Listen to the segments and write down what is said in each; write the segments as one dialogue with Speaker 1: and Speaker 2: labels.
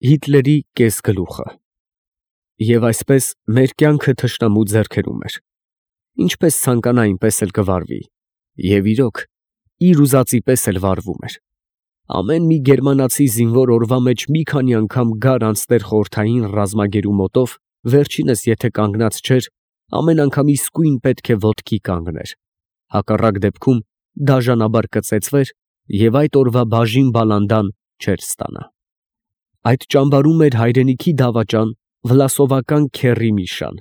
Speaker 1: Հիտլերի կեսգլուխը։ Եվ այսպես մեր կյանքը թշնամու ձեռքերում էր. ինչպես ցանկանա, այնպես էլ կվարվի, և իրոք, իր ուզածի պես էլ վարվում էր։ Ամեն մի գերմանացի զինվոր օրվա մեջ մի քանի անգամ գար անցներ խորհրդային ռազմագերու մոտով, վերջինս եթե կանգնած չէր, ամեն անգամ իսկույն պետք է ոտքի կանգներ, հակառակ դեպքում դաժանաբար կծեծվեր և այդ օրվա բաժին բալանդան չէր ստանա։ Այդ ճամբարում էր հայրենիքի դավաճան վլասովական քեռի Միշան,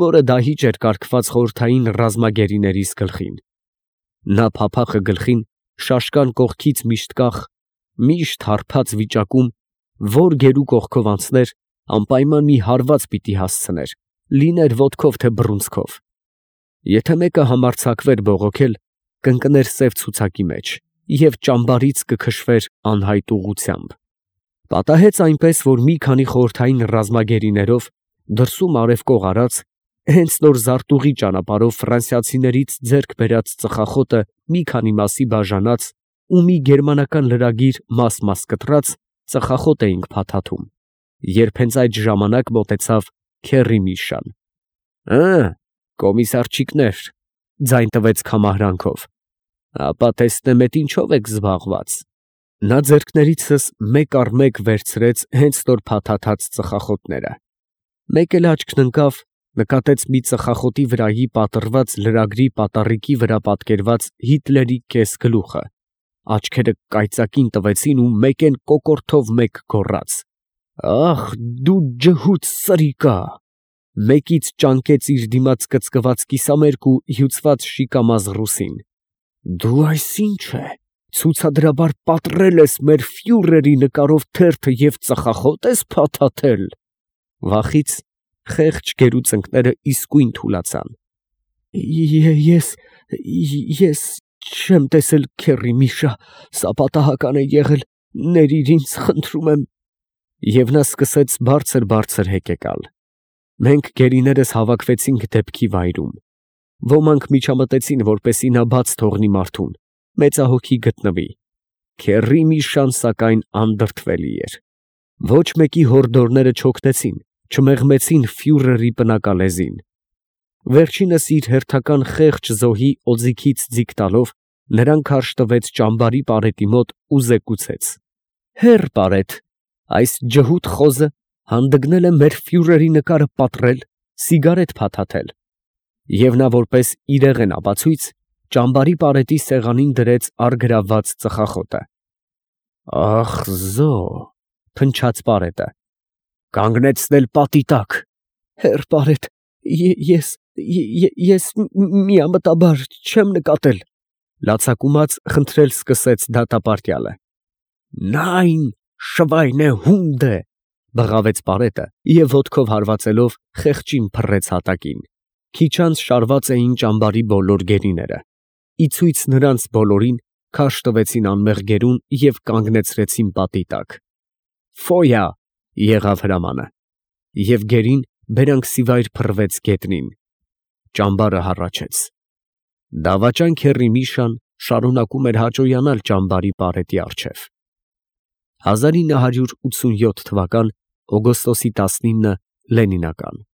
Speaker 1: որը դահիճ էր կարգված խորհրդային ռազմագերիներիս գլխին։ Նա փափախը գլխին, շաշկան կողքից միշտ կախ, միշտ հարբած վիճակում, որ գերու կողքով անցներ, անպայման մի հարված պիտի հասցներ, լիներ ոտքով թե բռունցքով։ Եթե մեկը համարձակվեր բողոքել, կընկներ սև ցուցակի մեջ և ճամբարից կքշվեր անհայտ ուղղությամբ։ Պատահեց այնպես, որ մի քանի խորհրդային ռազմագերիներով դրսում արևկող արած, հենց նոր Զարտուղի ճանապարհով ֆրանսիացիներից ձեռք բերած ծխախոտը մի քանի մասի բաժանած ու մի գերմանական լրագիր մաս կտրած ծխախոտ էինք փաթաթում, երբ հենց այդ ժամանակ մոտեցավ քեռի Միշան։ Կոմիսարչիկներ, ձայն տվեց քամահրանքով, ապա տեսնեմ, էդ ինչով եք զբաղված։ Նա ձեռքներիցս մեկ առ մեկ վերցրեց հենց նոր փաթաթած ծխախոտները։ Մեկ էլ աչքն ընկավ, նկատեց մի ծխախոտի վրայի պատռված լրագրի պատառիկի վրա պատկերված Հիտլերի կեսգլուխը, աչքերը կայծակին տվեցին ու մեկեն կոկորդով մեկ գոռաց. «Ախ, դու ջհուդ սրիկա», մեկից ճանկեց իր դիմաց կծկված կիսամերկ ու հյուծված շիկամազ ռուսին. «Դու այս ի՞նչ է, ցուցադրաբար պատռել ես մեր ֆյուրերի նկարով թերթը և ծխախոտ ես փաթաթել»։ Վախից խեղճ գերու ծնկները իսկույն թուլացան։ Ես չեմ տեսել քեռի Միշա, սա պատահական է եղել, ներիր ինձ, խնդրում եմ։ Եվ նա սկսեց բարձր հեկեկալ։ Մենք գերիներս հավաքվեցինք դեպքի վայրում։ Ոմանք միջամտեցին, որպեսզի նա բաց թողնի մարդուն, մեծահոգի գտնվի։ Քեռի Միշան, սակայն, անդրդվելի էր։ Ոչ մեկի հորդորները չօգնեցին, չմեղմեցին ֆյուրերի պնակալեզին։ Վերջինս իր հերթական խեղճ զոհի օձիքից ձիգ տալով, նրան քարշ տվեց ճամբարի պարետի մոտ ու զեկուցեց. «Հեռ պարետ, այս ջհուդ խոզը հանդգնել է մեր ֆյուրերի նկարը պատռել, սիգարետ փաթաթել»։ Եվ նա որպես իրեղեն ապացույց ճամբարի պարետի սեղանին դրեց առգրավված ծխախոտը։ «Ախ զո», փնչաց պարետը, «կանգնեցնել պատի տակ»։ «Հեռ պարետ, ես միամտաբար չեմ նկատել», լացակումած խնդրել սկսեց դատապարտյալը։ «Նայն, շվայնե հունդը», բղավեց պարետը և ոտքով հարվածելով խեղճին փռեց հատակին։ Քիչ անց շարված էին ճամբարի բոլոր գերիները։ Ի ցույց նրանց բոլորին քարշ տվեցին անմեղ գերուն և կանգնեցրեցին պատի տակ։ «Ֆոյա», եղավ հրամանը, և գերին բերանքսիվայր փռվեց գետնին։ Ճամբարը հառաչեց։ Դավաճան քեռի Միշան շարունակում էր հաճոյանալ ճամբարի պարետի առջև։ 1987 թվական օգոստոսի 19 Լենինական։